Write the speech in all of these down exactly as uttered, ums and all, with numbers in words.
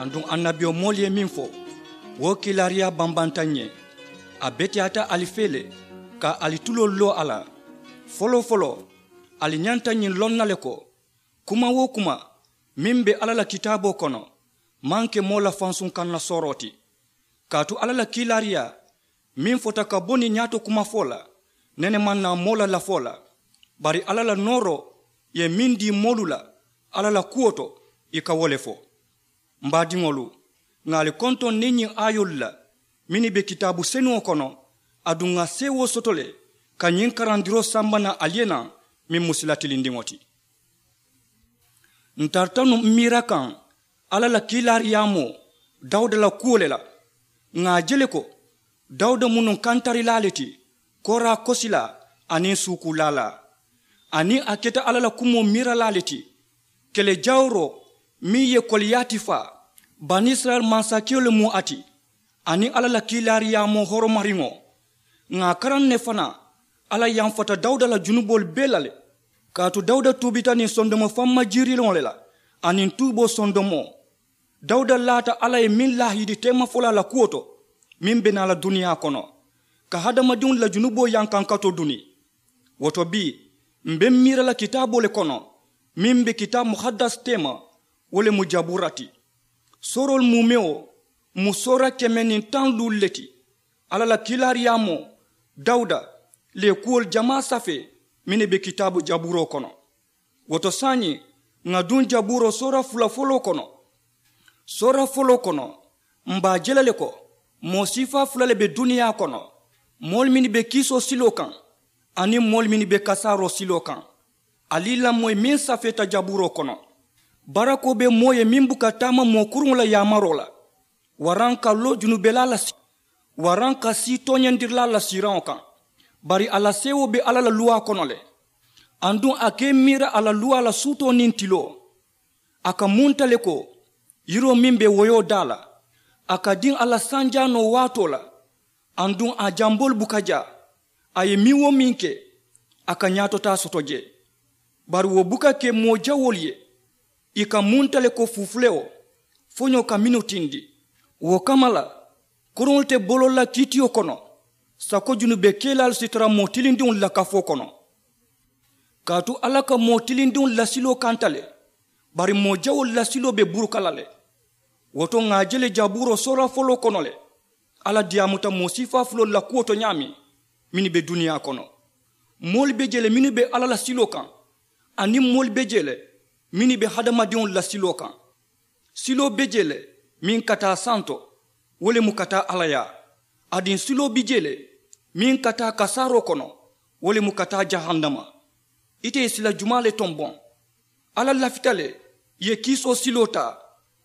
Aduŋ annabiyomoolu ye meŋ fo, wo kiilaariyaa bambanta ǹ ye. A beteyaata ali fee le ka ali tuloolu loo a la. Foloo-foloo, ali ñanta ñiŋ loŋ na le ko, kuma-wo-kuma meŋ be alla la kitaaboo kono maŋ ke moo la fansuŋ kaŋ na sooroo ti. Kaatu alla la kiilaariyaa meŋ fota ka bo niŋ ñaato kumafoo la, nene maŋ naa moo la lafoo la. Bari alla la nooroo ye meŋ dii moolu la alla la kuwo to, ì ka wo le fo. M baadiŋolu, ŋà ali kontoŋ niŋ ñiŋ aayoolu la mennu be kitaabu senuŋo kono. Aduŋ ŋà seewoo soto le ka ñiŋ karandiroo samba naŋ ali ye naŋ, meŋ mu sila tilindiŋo ti. Ǹ tarata nuŋ m miira kaŋ alla la kiilaariyaamoo dawuda la kuwo le la. Ŋà a je le ko dawuda mu nuŋ kantarilaa le ti, kooraa kosilaa aniŋ suukuulaalaa. Aniŋ a keta alla la kumoo miiralaa le ti, kele jawuroo meŋ ye koliyaati faa. Banisirayila mansakewo le mu a ti, aniŋ alla la kiilaariyaamoo horomariŋo. Ŋà a karaŋ ne fanaa alla yamfata dawuda la junuboolu bee la le. Kaatu dawuda tuubita niŋ sondomo famma jiiriloŋo le la, aniŋ tuuboo sondomoo. Dawuda laata alla ye meŋ laahidi teemafolaa la kuwo to, meŋ be naa la duniyaa kono ka hadamadiŋolu la junuboo yankankatoo duni. Wo to bii, m be m miira la kitaaboo le kono meŋ be kitaabu muhaddas teema, wo le mu jabuura ti. Sooroolu muumewo mu soora keme niŋ taŋ luulu le ti. Alla la kiilaariyaamoo dawuda le ye kuwolu jamaa safee mennu be kitaabu jabuuroo kono. Wo to saayiŋ, ŋà duŋ jabuuroo soora fula foloo kono. Soora foloo kono, m be a je la le ko moo siifaa fula le be duniyaa kono. Moolu mennu be kiisoo siloo kaŋ aniŋ moolu mennu be kasaaroo siloo kaŋ. Ali i lamoyi meŋ safeeta jabuuroo kono. Barakoo be moo ye meŋ buka taama moo kuruŋo la yaamaroo la, waraŋ ka loo junubelaa la si waraŋ ka sii tooñandirilaa la siiraŋo kaŋ. Bari a la seewoo be alla la luwaa kono le. Aduŋ a ka i miira a la luwaa la suutoo niŋ tiloo. A ka munta le ko yiroo meŋ be woyoo daa la, a ka diŋ a la sanjaanoo waatoo la. Aduŋ a jamboolu buka jaa. A ye meŋ-wo-meŋ ke, a ka ñaatotaa soto jee. Bari wo buka ke moo jawoolu ye. Ì ka munta le ko fufulewo foñoo ka mennu tindi. Wo kamma la, koroŋolu te boloolu la kiitiyo kono sako junube kelaalu si tara moo tilindiŋolu la kafoo kono. Kaatu alla ka moo tilindiŋolu la siloo kanta le, bari moo jawoolu la siloo be buruka la le. Wo to ŋà a je le jabuuroo soora foloo kono le, alla diyaamuta moo siifaa fuloolu la kuwo to ñaameŋ mennu be duniyaa kono. Moolu be jee le mennu be alla la siloo kaŋ, aniŋ moolu be jee le mennu be hadamadiŋolu la siloo kaŋ. Siloo be jee le meŋ ka taa santo, wo le mu ka taa alla yaa. Aduŋ siloo be jee le meŋ ka taa kasaaroo kono, wo le mu ka taa jahannama. Ite ye sila jumaa le tomboŋ? Alla lafita le ye kiisoo siloo taa,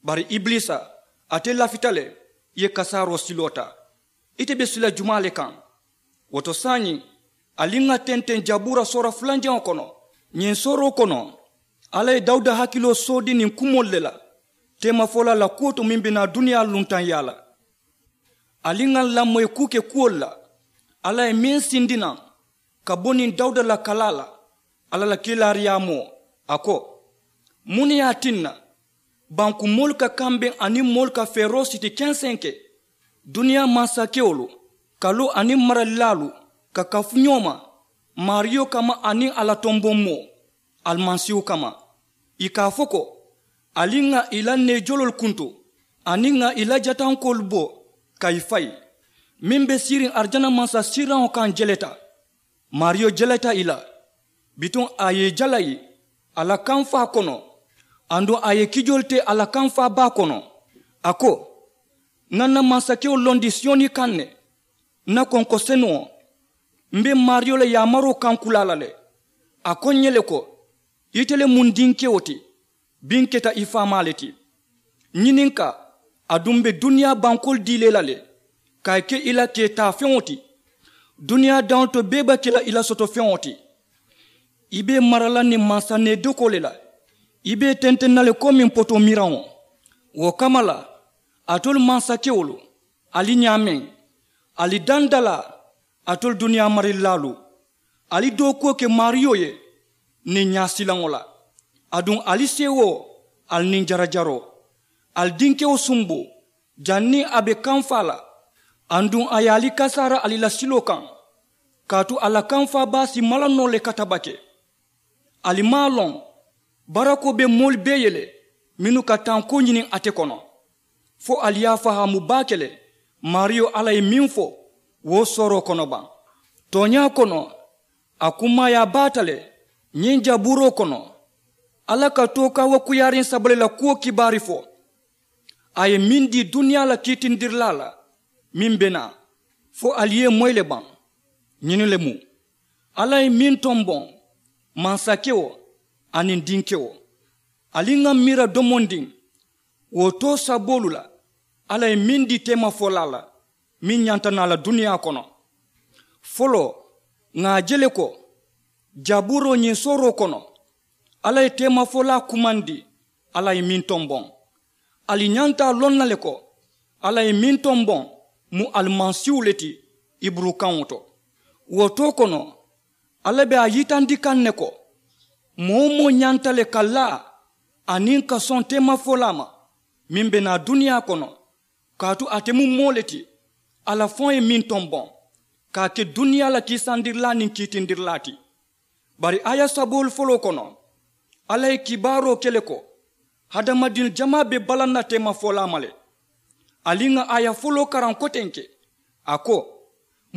bari ibiliisa, ate lafita le ye kasaaroo siloo taa. Ite be sila jumaa le kaŋ? Wo to saayiŋ, ali ŋà tenteŋ jabuura soora fulanjaŋo kono. Ñiŋ sooroo kono, alla ye dawuda hakiloo soodi niŋ kumoolu le la teemafolaa la kuwo to meŋ be naa duniyaa luntaŋyaa la. Ali ŋà lamoyi kuu ke kuwolu la alla ye meŋ sindi naŋ ka bo niŋ dawuda la kalaa la. Alla la kiilaariyaamoo, a ko, muŋ ne ye a tinna banku moolu ka kambeŋ aniŋ moolu ka feeroo siti kenseŋ ke? Duniyaa mansakewolu, kaloo aniŋ maralilaalu ka kafu ñoo ma maariyo kamma aniŋ a la tomboŋ moo, alimasiihu kamma. Ì ka a fo ko, ali ŋà ì la neejoloolu kuntu aniŋ ŋà ì la jatankoolu bo ka ì fayi. Meŋ be siiriŋ arijana mansasiiraŋo kaŋ jeleta. Maariyo jeleta ì la. Bituŋ a ye ì jalayi a la kamfaa kono, aduŋ a ye kijoolu te a la kamfaa baa kono. A ko, ŋà n na mansakewo londi siyoni kaŋ ne, n na konko senuŋo. M be maariyo la yaamaroo kaŋ kulaa la le. A ko ǹ ye le ko, ite le mu n dinkewo ti, biŋ keta i faamaa le ti. Ñininkaa, aduŋ m be duniyaa bankoolu dii la i la le, ka i ke i la keetaafeŋo ti. Duniyaa daŋolu to bee be ke la i la sotofeŋo ti. I be i mara la niŋ mansa needokoo le la. I be i tenteŋ na le komiŋ potoo miiraŋo. Wo kamma la, alitolu mansakewolu, ali ñaameŋ, ali dandalaa, alitolu duniyaa marilaalu, ali dookuwo ke maariyo ye niŋ ñaasilaŋo la. Aduŋ ali seewoo, ali niŋ jarajaroo, Ali dinkewo sumbu janniŋ a be kamfaa la. Aduŋ a ye ali kasaara ali la siloo kaŋ, kaatu a la kamfaa baa si mala noo le katabake. Ali maŋ a loŋ barakoo be moolu bee ye le mennu ka tankoo ñiniŋ ate kono, fo ali ye a fahaamu baake le maariyo alla ye meŋ fo wo sooroo kono baŋ. Tooñaa kono, a kummaayaa baata le ñiŋ jabuuroo kono. Alla ka tookaa wo kuyaariŋ saba le la kuwo kibaari fo. A ye meŋ dii duniyaa la kiitindirilaa la meŋ be naa, fo ali ye moyi le baŋ. Ñiŋ le mu alla ye meŋ tomboŋ, mansakewo aniŋ dinkewo. Ali ŋa miira domondiŋ wo too saboolu la alla ye meŋ dii teemafolaa la meŋ ñanta naa la duniyaa kono. Foloo, ŋà a je le ko jabuuroo ñiŋ sooroo kono alla ye teemafolaa kumandi. Alla ye meŋ tomboŋ, ali ñanta a loŋ na le ko alla ye meŋ tomboŋ mu alimasiihu le ti. Iburukaŋo to wo too kono alla be a yitandi kaŋ ne ko moo-wo-moo ñanta le ka laa aniŋ ka soŋ teemafolaa ma meŋ be naa duniyaa kono. Kaatu ate mu moo le ti alla faŋo ye meŋ tomboŋ ka a ke duniyaa la kiisandirilaa niŋ kiitindirilaa ti. Bari aaya saboolu foloo kono alla ye kibaaroo ke le ko hadamadiŋ jamaa be balaŋ na teemafolaa ma le. Ali ŋa aaya foloo karaŋ kotenke, a ko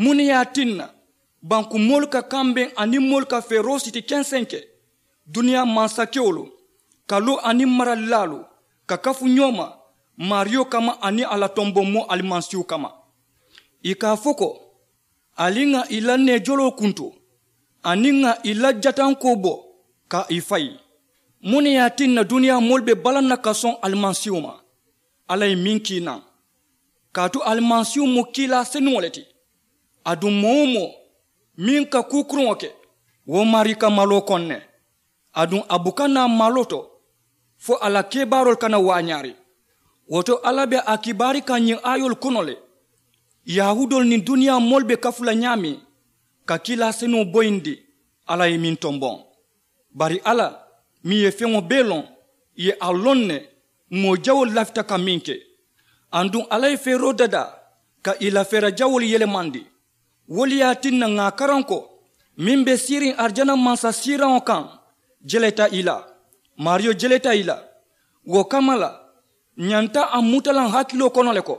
muŋ ne ye a tinna banku moolu ka kambeŋ aniŋ moolu ka feeroo siti kensenke duniyaa mansakewolu ka loo aniŋ maralilaalu ka kafu ñoo ma maariyo kamma aniŋ a la tomboŋ moo alimasiihu kamma. Ì ka a fo ko ali ŋà ì la neejoloo kuntu aniŋ ŋà ì la jatankoo bo ka ì fayi. Muŋ ne ye a tinna duniyaa moolu be balaŋ na ka soŋ alimasiihu ma? Alla ye meŋ kii naŋ kaatu alimasiihu mu kiilaa senuŋo le ti. Aduŋ moo-wo-moo meŋ ka kuu kuruŋo ke wo maarii ka maloo koŋ ne. Aduŋ a buka naa maloo to fo a la kebaaroolu kana waañaari. Wo to alla be a kibaari kaŋ ñiŋ aayoolu kono le yahuudoolu niŋ duniyaa moolu be kafu la ñaameŋ ka kiilaa senuŋo boyindi. Alla ye meŋ tomboŋ bari alla meŋ ye feŋo bee loŋ ì ye a loŋ ne moo jawoolu lafita ka meŋ ke. Aduŋ alla ye feeroo dadaa ka ì la feera jawoolu yelemandi. Wo le ye a tinna ŋà a karaŋ ko meŋ be siiriŋ arijana mansa siiraŋo kaŋ jeleta ì la. Maariyo jeleta ì la. Wo kamma la ñanta a mutalaŋ hakiloo kono le ko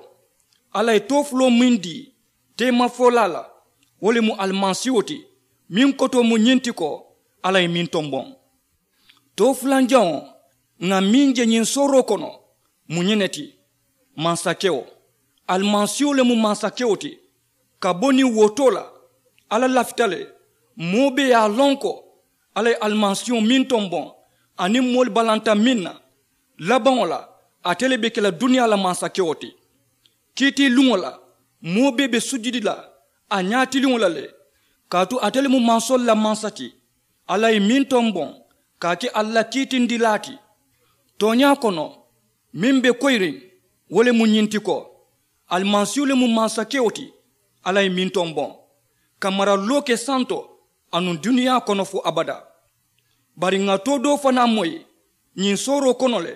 alla ye toofuloo meŋ dii teemafolaa la wo le mu alimasiiwo ti. Meŋ kotoo mu ñiŋ ti ko alla ye meŋ tomboŋ. Toofulanjaŋo ŋà meŋ je ñiŋ sooroo kono mu ñiŋ ne ti mansakewo. Alimasiiwo le mu mansakewo ti. Ka bo niŋ wo too la alla lafita le moo bee ye a loŋ ko alla ye alimasiiwo meŋ tomboŋ aniŋ moolu balanta meŋ na labaŋo la ate le be ke la duniyaa la mansakewo ti. Kiitiiluŋo la moo bee be sujudi la a ñaatiliŋo la le. Kaatu ate le mu mansoolu la mansa ti. Alla ye meŋ tomboŋ ka a ke ali la kiitindilaa ti. Tooñaa kono meŋ be koyiriŋ wo le mu ñiŋ ti ko alimasiihu le mu mansakewo ti. Alla ye meŋ tomboŋ ka maraloo ke santo anuŋ duniyaa kono fo abadaa. Bari ŋà too doo fanaa moyi ñiŋ sooroo kono le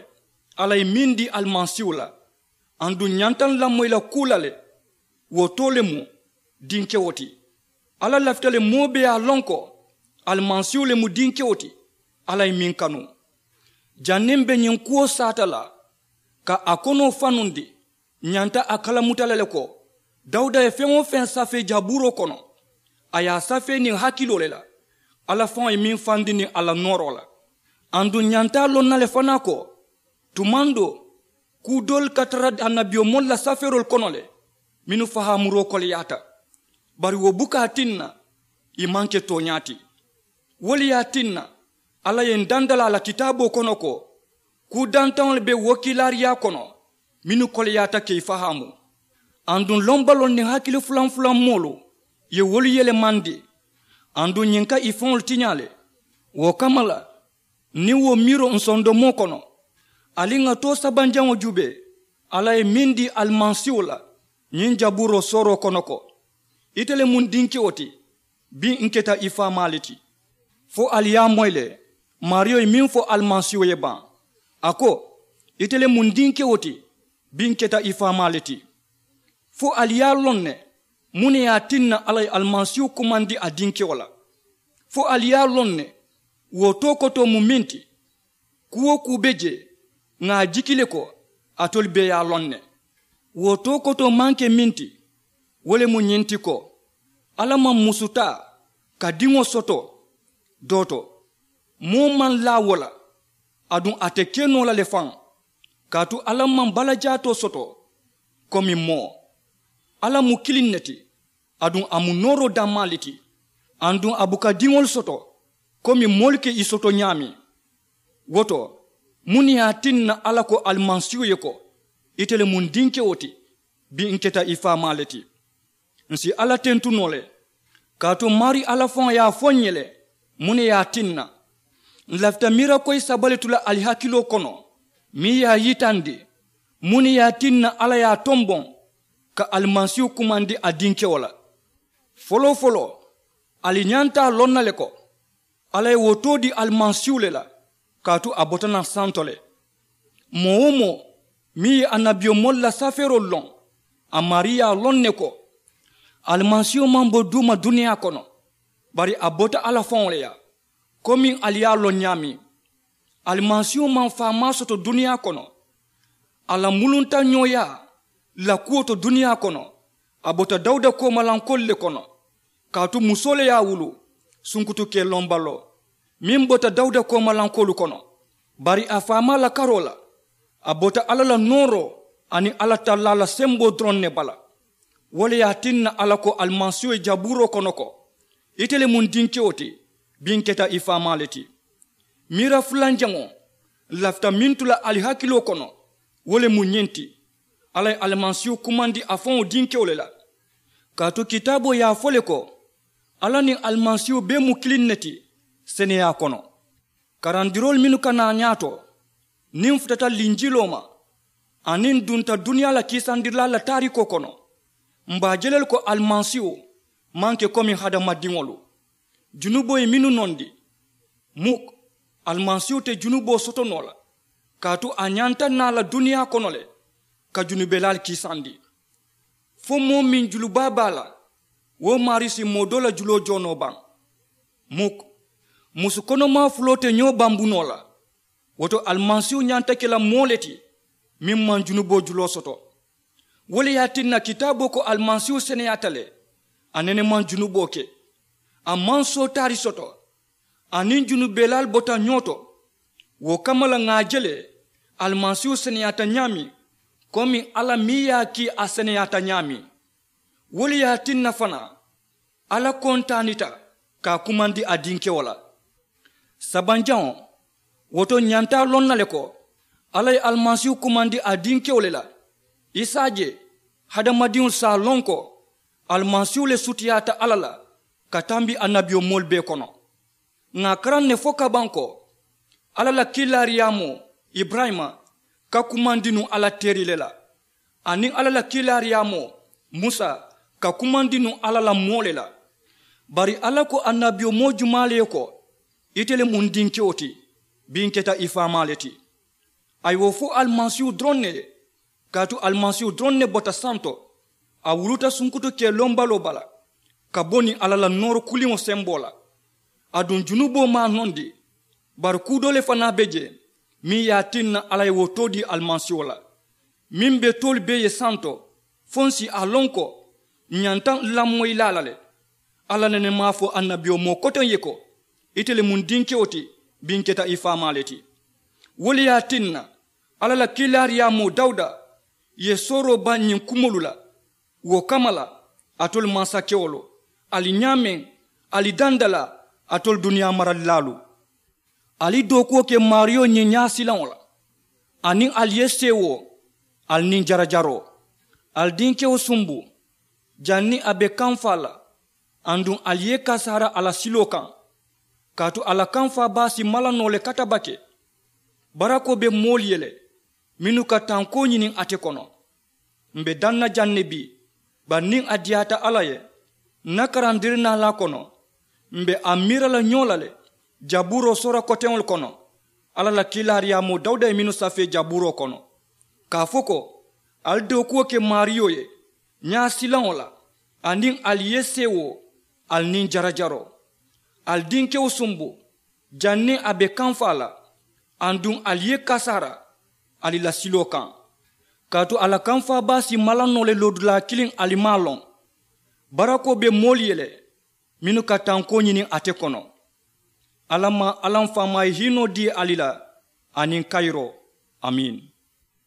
alla ye meŋ dii alimasiihu la. Aduŋ ñanta n lamoyi la kuu la le wo too le mu dinkewo ti. Alla lafita le moo bee ye a loŋ ko alimasiihu le mu dinkewo ti. Alla ye meŋ kanu janniŋ be ñiŋ kuwo saata la ka a konoo fanundi ñanta a kalamuta la le ko dawuda ye feŋ-wo-feŋ safee jabuuroo kono a ye a safee niŋ hakiloo le la. Alla faŋo ye meŋ fandi niŋ a la nooroo la. Aduŋ ñanta a loŋ na le fanaa ko tumaŋ doo kuu doolu ka tara annabiyomoolu la safeeroolu kono le mennu fahaamuroo koleyaata. Bari wo buka a tinna ì maŋ ke tooñaa ti. Wo le ye a tinna alla ye n dandalaa la kitaaboo kono ko kuu dantaŋolu be wokiilaariyaa kono mennu koleyaata ka ì fahaamu. Aduŋ lombaloo niŋ hakili fulaŋ fulaŋ moolu ye wolu yelemandi. Aduŋ ñiŋ ka ì faŋolu tiñaa le. Wo kamma la niŋ wo miiroo nsondomoo kono ali ŋà too sabanjaŋo juubee alla ye meŋ dii alimasiiwo la ñiŋ jabuuroo sooroo kono ko ite le mu n dinkewo ti. Biŋ n keta i faamaa le ti. Fo ali ye a moyi le maariyo ye meŋ fo alimasiiwo ye baŋ a ko Ite le mu n dinkewo ti, bi n keta i faamaa le ti. Fo ali ye a loŋ ne, muŋ ne ye a tinna alla ye alimasiihu kumandi a dinkewo la? Fo ali ye a loŋ ne, wo too kotoo mu meŋ ti? Kuu-wo-kuu be jee, ŋà a jiki le ko alitolu bee ye a loŋ ne. Wo too kotoo maŋ ke meŋ ti, wo le mu ñiŋ ti ko, alla maŋ musu taa ka diŋo soto doo to. Moo maŋ laa wo la, aduŋ a te ke noo la le faŋ. Kaatu alla maŋ balajaatoo soto komi moo. Alla mu kiliŋ ne ti, aduŋ a mu nooroo dammaa le ti. Aduŋ a buka diŋolu soto komi moolu ka i soto ñaameŋ. Wo to, muŋ ne ye a tinna alla ko alimasiihu ye ko, ite le mu n dinkewo ti, bi n keta i faamaa le ti? N si alla tentu noo le, kaatu maarii alla faŋo ye a fo n ye le, muŋ ne ye a tinna? N lafita miira koyi saba le tu la ali hakiloo kono, meŋ ye a yitandi muŋ ne ye a tinna alla ye a tomboŋ ka alimasiihu kumandi a dinkewo la. Foloo-foloo, ali ñanta a loŋ na le ko, alla ye wo too dii alimasiihu le la, kaatu a bota naŋ santo le. Moo-wo-moo meŋ ye annabiyomoolu la safeeroolu loŋ, a maarii ye a loŋ ne ko, alimasiihu maŋ bo duuma duniyaa kono, bari a bota alla faŋo le yaa. Komiŋ ali ye a loŋ ñaameŋ, alimasiihu maŋ faamaa soto duniyaa kono. A la muluntañooyaa la kuwo to duniyaa kono, a bota dawuda koomalankoolu le kono. Kaatu musoo le ye a wuluu sunkutu kee loŋ baloo, meŋ bota dawuda koomalankoolu kono. Bari a faamaa la karoo la, a bota alla la nooroo aniŋ alla tallaa la semboo doroŋ ne bala. Wo le ye a tinna alla ko alimasiihu ye jabuuroo kono ko, ite le mu n dinkewo ti, bi n keta i faamaa le ti. Miira fulanjaŋo lafita meŋ tu la ali hakiloo kono, wo le mu ñiŋ ti, alla ye alimasiihu kumandi a faŋo dinkewo le la. Kaatu kitaaboo ye a fo le ko, alla niŋ alimasiihu bee mu kiliŋ ne ti seneyaa kono. Karandiroolu mennu ka naa ñaato, niŋ n futata linjiloo ma aniŋ n dunta duniyaa la kiisandirilaalu la taariikoo kono, m be a je la le ko alimasiihu maŋ ke komi hadamadiŋolu. Junuboo ye mennu nondi, muk, alimasiihu te junuboo soto noo la, kaatu a ñanta naa la duniyaa kono le ka junubelaalu kiisandi. Fo moo meŋ julubaa be a la, wo maarii si moo doo la juloo joo noo baŋ? Muk. Musu konomaa fuloo te ñoo bambu noo la. Wo to alimasiihu ñanta ke la moo le ti meŋ maŋ junuboo juloo soto. Wo le ye a tinna kitaaboo ko alimasiihu seneyaata le, a nene maŋ junuboo ke. A maŋ sootaari soto, aniŋ junubelaalu bota ñoo to. Wo kamma la ŋà a je le, alimasiihu seneyaata ñaameŋ komi alla meŋ ye a kii a seneyaata ñaameŋ. Wo le ye a tinna fanaa, alla kontaanita ka a kumandi a dinkewo la. Sabanjaŋo, wo to n ñanta a loŋ na le ko, alla ye alimasiihu kumandi a dinkewo le la. I si a je, hadamadiŋolu si a loŋ ko alimasiihu le sutiyaata alla la ka tambi annabiyomoolu bee kono. Ŋà a karaŋ ne fo ka baŋ ko, alla la kiilaariyaamoo iburayima ka kumandi nuŋ alla teeri le la, aniŋ alla la kiilaariyaamoo musa ka kumandi nuŋ alla la moo le la. Bari alla ko annabiyomoo jumaa le ye ko, ite le mu n dinkewo ti, bi n keta i faamaa le ti? A ye wo fo alimasiihu doroŋ ne ye. Kaatu alimasiihu doroŋ ne bota santo, a wuluta sunkutu kee loŋ baloo bala ka bo niŋ alla la nooro kuliŋo semboo la. Aduŋ junuboo maŋ a nondi. Bari kuu doo le fanaa be jee meŋ ye a tinna alla ye wo too dii alimasiiho la, meŋ be toolu bee ye santo, fo n si a loŋ ko n ñanta n lamoyilaa la le. Alla nene maŋ a fo annabiyomoo koteŋ ye ko, ite le mu n dinkewo ti, bi n keta i faamaa le ti. Wo le ye a tinna alla la kiilaariyaamoo dawuda ye sooroo baŋ ñiŋ kumoolu la. Wo kamma la, alitolu mansakewolu, ali ñaameŋ, ali dandalaa, alitolu duniyaa maralilaalu, ali dookuwo ke maariyo ñiŋ ñaasilaŋo la, aniŋ ali ye seewoo, ali niŋ jarajaroo, ali dinkewo sumbu, janniŋ a be kamfaa la, aduŋ ali ye i kasaara a la siloo kaŋ. Kaatu a la kamfaa baa si mala noo le katabake. Barakoo be moolu ye le mennu ka tankoo ñiniŋ ate kono. M be daŋ na jaŋ ne bii, bari niŋ a diyaata alla ye, n na karandirinaalaa kono, m be a miira la ñoo la le, jabuuroo soora koteŋolu kono, Alla la kiilaariyaamoo dawuda ye mennu safee jabuuroo kono, ka a fo ko, ali dookuwo ke maariyo ye ñaa silaŋo la, aniŋ ali ye seewoo, ali niŋ jarajaroo, ali dinkewo sumbu, janniŋ a be kamfaa la, aduŋ ali ye kasaara ali la siloo kaŋ. Kaatu a la kamfaa baa si malannoo le loodulaa kiliŋ ali maŋ a loŋ. Barakoo be moolu ye le mennu ka tankoo ñini ate kono. Alla maŋ alla m faamaa ye hiinoo dii ali la, aniŋ kayiroo. Amiin.